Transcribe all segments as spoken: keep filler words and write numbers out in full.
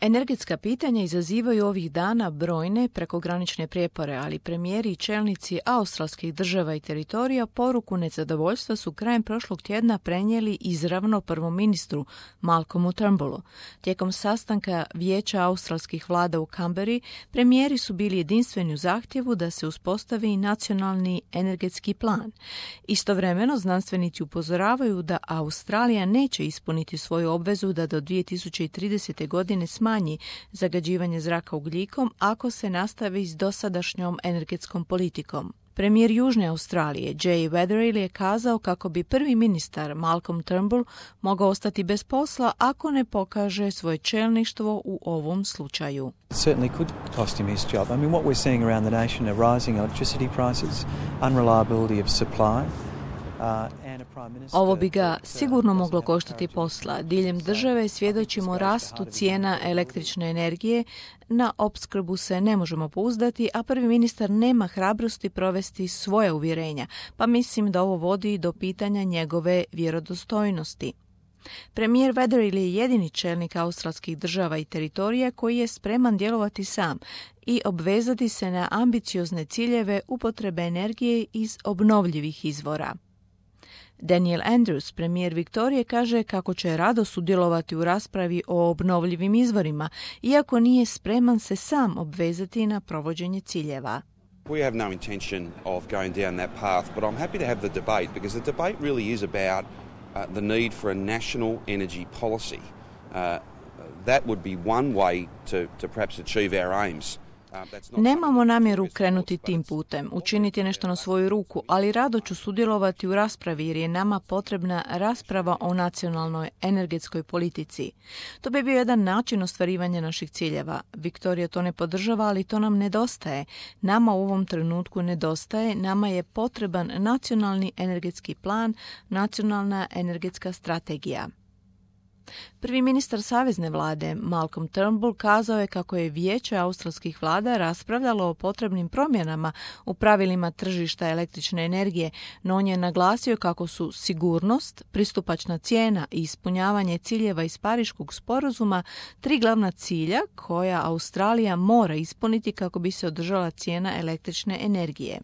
Energetska pitanja izazivaju ovih dana brojne prekogranične prijepore, ali premijeri i čelnici australskih država i teritorija poruku nezadovoljstva su krajem prošlog tjedna prenijeli izravno prvom ministru Malcolmu Turnbullu. Tijekom sastanka Vijeća australskih vlada u Canberri, premijeri su bili jedinstveni u zahtjevu da se uspostavi nacionalni energetski plan. Istovremeno, znanstvenici upozoravaju da Australija neće ispuniti svoju obvezu da do dvije tisuće tridesete. godine smanji zagađivanje zraka ugljikom ako se nastavi s dosadašnjom energetskom politikom. Premijer Južne Australije Jay Weatherill je kazao kako bi prvi ministar Malcolm Turnbull mogao ostati bez posla ako ne pokaže svoje čelništvo u ovom slučaju. It certainly could cost him his job. I mean, what we're seeing around the nation are rising electricity prices, unreliability of supply. Ovo bi ga sigurno moglo koštati posla. Diljem države svjedočimo rastu cijena električne energije, na opskrbu se ne možemo pouzdati, a prvi ministar nema hrabrosti provesti svoje uvjerenja, pa mislim da ovo vodi do pitanja njegove vjerodostojnosti. Premijer Weatherill je jedini čelnik australskih država i teritorija koji je spreman djelovati sam i obvezati se na ambiciozne ciljeve upotrebe energije iz obnovljivih izvora. Daniel Andrews, premijer Viktorije, kaže kako će rado sudjelovati u raspravi o obnovljivim izvorima, iako nije spreman se sam obvezati na provođenje ciljeva. We have no intention of going down that path, but I'm happy to have the debate because the debate really is about uh, the need for a national energy policy. Uh, that would be one way to, to perhaps achieve our aims. Nemamo namjeru krenuti tim putem, učiniti nešto na svoju ruku, ali rado ću sudjelovati u raspravi jer je nama potrebna rasprava o nacionalnoj energetskoj politici. To bi bio jedan način ostvarivanja naših ciljeva. Viktorija to ne podržava, ali to nam nedostaje. Nama u ovom trenutku nedostaje, nama je potreban nacionalni energetski plan, nacionalna energetska strategija. Prvi ministar savezne vlade Malcolm Turnbull kazao je kako je Vijeće australskih vlada raspravljalo o potrebnim promjenama u pravilima tržišta električne energije, no on je naglasio kako su sigurnost, pristupačna cijena i ispunjavanje ciljeva iz Pariškog sporazuma tri glavna cilja koja Australija mora ispuniti kako bi se održala cijena električne energije.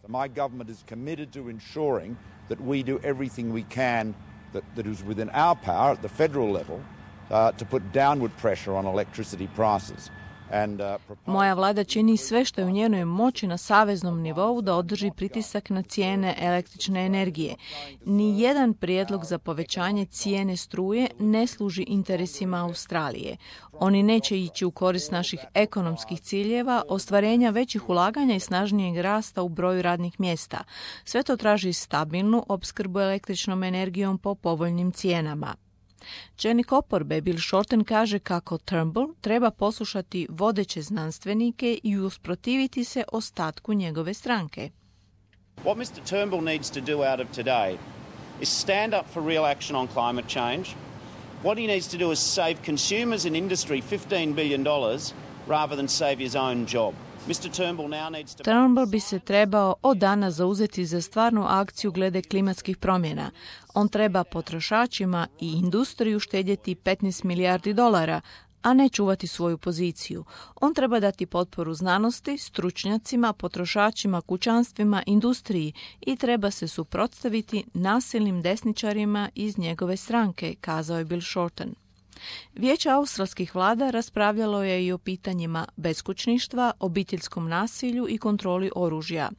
My government is committed to ensuring that we do everything we can That, that is within our power at the federal level uh, to put downward pressure on electricity prices. And, uh, propose... Moja vlada čini sve što je u njenoj moći na saveznom nivou da održi pritisak na cijene električne energije. Ni jedan prijedlog za povećanje cijene struje ne služi interesima Australije. Oni neće ići u korist naših ekonomskih ciljeva, ostvarenja većih ulaganja i snažnijeg rasta u broju radnih mjesta. Sve to traži stabilnu opskrbu električnom energijom po povoljnim cijenama. Čelnik oporbe Bill Shorten kaže kako Turnbull treba poslušati vodeće znanstvenike i usprotiviti se ostatku njegove stranke. What mister Turnbull needs to do out of today is stand up for real action on climate change. What he needs to do is save consumers and industry fifteen billion dollars rather than save his own job. mister Turnbull now needs to... Turnbull bi se trebao od danas zauzeti za stvarnu akciju glede klimatskih promjena. On treba potrošačima i industriju štedjeti petnaest milijardi dolara, a ne čuvati svoju poziciju. On treba dati potporu znanosti, stručnjacima, potrošačima, kućanstvima, industriji i treba se suprotstaviti nasilnim desničarima iz njegove stranke, kazao je Bill Shorten. Vijeće australskih vlada raspravljalo je i o pitanjima beskućništva, obiteljskom nasilju i kontroli oružja.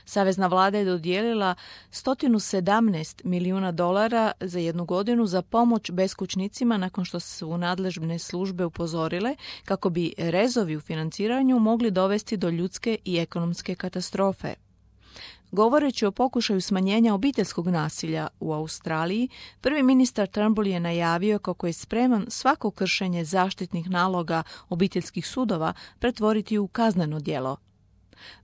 Savezna vlada je dodijelila sto sedamnaest milijuna dolara za jednu godinu za pomoć beskućnicima nakon što su nadležne službe upozorile kako bi rezovi u financiranju mogli dovesti do ljudske i ekonomske katastrofe. Govoreći o pokušaju smanjenja obiteljskog nasilja u Australiji, prvi ministar Turnbull je najavio kako je spreman svako kršenje zaštitnih naloga obiteljskih sudova pretvoriti u kazneno djelo.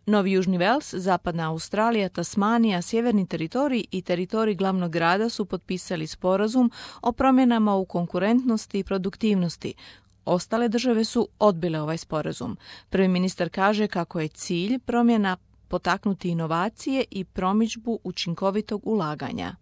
Novi Južni Vels, Zapadna Australija, Tasmanija, Sjeverni teritorij i teritorij glavnog grada su potpisali sporazum o promjenama u konkurentnosti i produktivnosti. Ostale države su odbile ovaj sporazum. Prvi ministar kaže kako je cilj promjena potaknuti inovacije i promidžbu učinkovitog ulaganja.